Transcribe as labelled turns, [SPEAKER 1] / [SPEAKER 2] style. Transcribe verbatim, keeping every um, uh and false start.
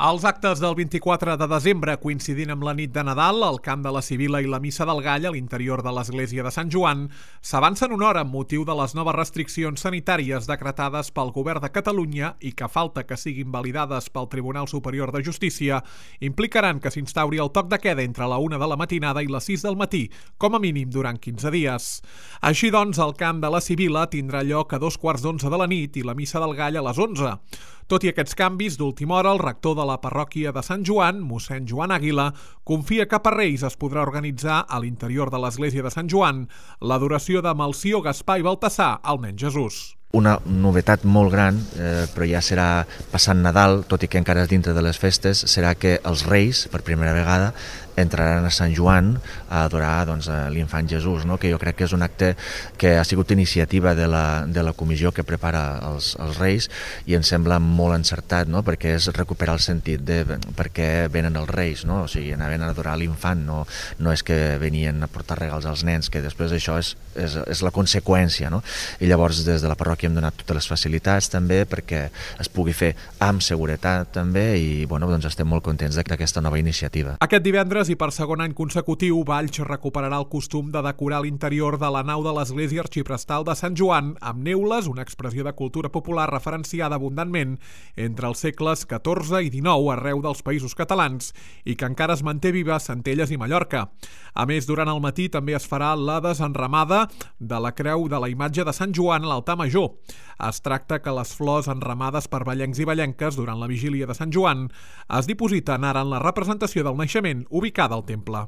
[SPEAKER 1] Els actes del vint-i-quatre de desembre, coincidint amb la nit de Nadal, el Camp de la Sibil·la i la Missa del Gall a l'interior de l'església de Sant Joan s'avancen una hora amb motiu de les noves restriccions sanitàries decretades pel Govern de Catalunya i que falta que siguin validades pel Tribunal Superior de Justícia implicaran que s'instauri el toc de queda entre la una de la matinada i les sis del matí, com a mínim durant quinze dies. Així doncs, el Camp de la Sibil·la tindrà lloc a dos quarts d'onze de la nit i la Missa del Gall a les onze. Tot i aquests canvis, d'última hora, el rector de la parròquia de Sant Joan, mossèn Joan Àguila, confia que per Reis es podrà organitzar a l'interior de l'església de Sant Joan l'adoració de Melcior, Gaspar i Baltasar al nen Jesús.
[SPEAKER 2] Una novetat molt gran, eh, però ja serà passant Nadal, tot i que encara és dintre de les festes, serà que els Reis, per primera vegada, entraran a Sant Joan a adorar doncs, a l'infant Jesús, no? Que jo crec que és un acte que ha sigut iniciativa de la, de la comissió que prepara els, els Reis i em sembla molt encertat, no? Perquè és recuperar el sentit de per què venen els Reis, no? O sigui, anaven a adorar l'infant, no, no és que venien a portar regals als nens, que després això és, és, és la conseqüència, no? I llavors des de la parròquia hem donat totes les facilitats també perquè es pugui fer amb seguretat també i bueno, doncs estem molt contents d'aquesta nova iniciativa.
[SPEAKER 1] Aquest divendres i per segon any consecutiu, Valls recuperarà el costum de decorar l'interior de la nau de l'església arxiprestal de Sant Joan amb neules, una expressió de cultura popular referenciada abundantment entre els segles catorze i dinou arreu dels països catalans i que encara es manté viva a Centelles i Mallorca. A més, durant el matí també es farà la desenramada de la creu de la imatge de Sant Joan a l'altar major. Es tracta que les flors enramades per vallencs i vallenques durant la vigília de Sant Joan es dipositen ara en la representació del naixement ubicada al temple.